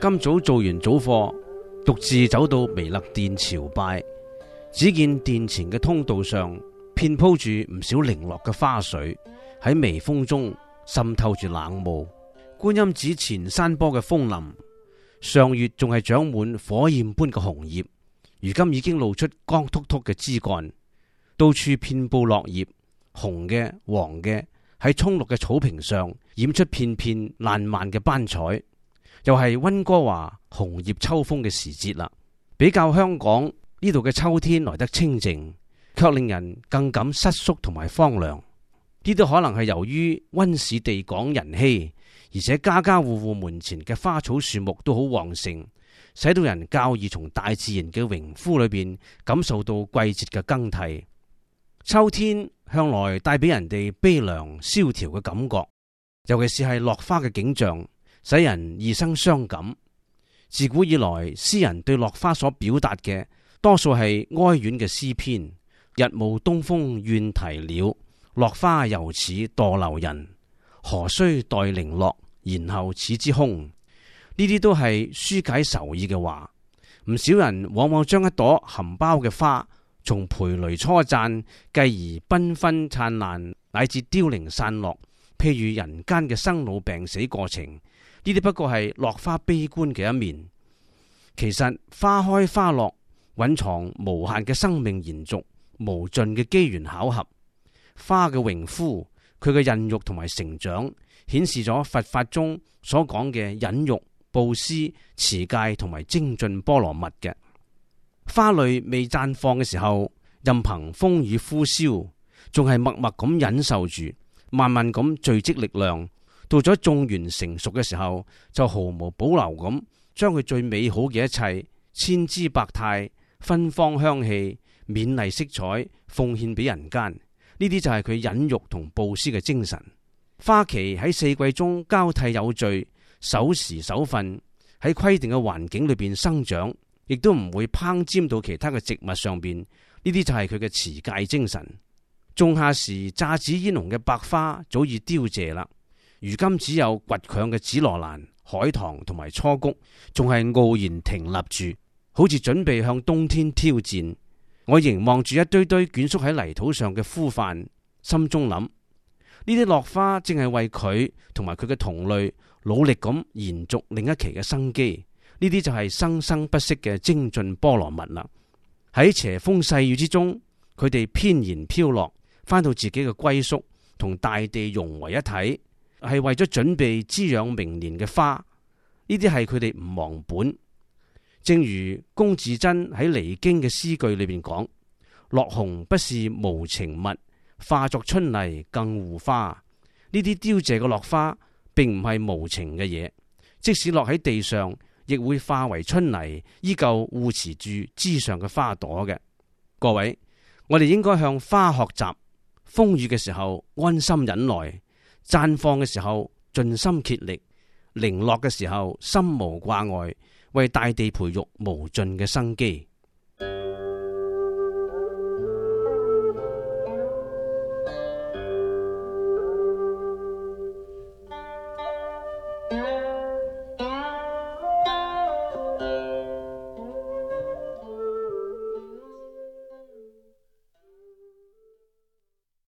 今早做完早課，獨自走到彌勒殿朝拜，只見殿前嘅通道上遍鋪住唔少零落嘅花水，喺微風中滲透住冷霧。觀音寺前山坡嘅楓林，上月仲係長滿火焰般嘅紅葉，如今已經露出光禿禿嘅枝幹，到處遍布落葉，紅嘅、黃嘅，喺蔥綠嘅草坪上染出片片爛漫嘅斑彩。又係溫哥華紅葉秋風嘅時節啦，比較香港呢度嘅秋天來得清靜，卻令人更感瑟縮同埋荒涼。呢都可能係由於溫市地廣人稀，而且家家戶戶門前嘅花草樹木都好旺盛，使到人較易從大自然嘅榮枯裏邊感受到季節嘅更替。秋天向來帶俾人哋悲涼蕭條嘅感覺，尤其是係落花嘅景象，使人易生傷感。自古以來，詩人對落花所表達嘅多數係哀怨嘅詩篇。日暮東風怨啼鳥，落花猶似墮流人。何須待零落，然後始之空。呢啲都係紓解愁意嘅話。唔少人往往將一朵含苞嘅花從蓓蕾初綻，繼而繽紛燦爛，乃至凋零散落，譬如人間嘅生老病死過程。呢啲不過係落花悲觀嘅一面。其實花開花落蘊藏無限嘅生命延續，無盡嘅機緣巧合。花嘅榮枯，佢嘅孕育同埋成長，顯示咗佛法中所講嘅忍辱、布施、持戒同埋精進波羅蜜嘅。花蕾未綻放嘅時候，任憑風雨呼嘯，仲係默默咁忍受住，慢慢咁聚積力量。到咗種源成熟嘅時候，就毫無保留咁將佢最美好嘅一切，千姿百態、芬芳香氣、勉勵色彩奉獻俾人間。呢啲就係佢忍辱同布施嘅精神。花期喺四季中交替有序，守時守分，喺規定嘅環境裏邊生長，亦都唔會攀沾到其他嘅植物上邊。呢啲就係佢嘅持戒精神。仲夏時姹紫嫣紅嘅百花早已凋謝啦，如今只有倔強嘅紫羅蘭、海棠同埋初菊，仲係傲然挺立住，好似準備向冬天挑戰。我凝望住一堆堆捲縮喺泥土上嘅枯瓣，心中諗：呢啲落花正係為佢同埋佢嘅同類努力咁延續另一期嘅生機。呢啲就係生生不息嘅精進波羅蜜啦。喺斜風細雨之中，佢哋翩然飄落，翻到自己嘅歸宿，同大地融為一體。係為咗準備滋養明年嘅花，呢啲係佢哋唔忘本。正如龔自珍喺離經嘅詩句裏邊講：落紅不是無情物，化作春泥更護花。呢啲凋謝嘅落花，並唔係無情嘅嘢，即使落喺地上，亦會化為春泥，依舊護持住枝上嘅花朵嘅。各位，我哋應該向花學習，風雨嘅時候安心忍耐，綻放嘅時候盡心竭力，零落嘅時候心無掛礙，為大地培育無盡嘅生機。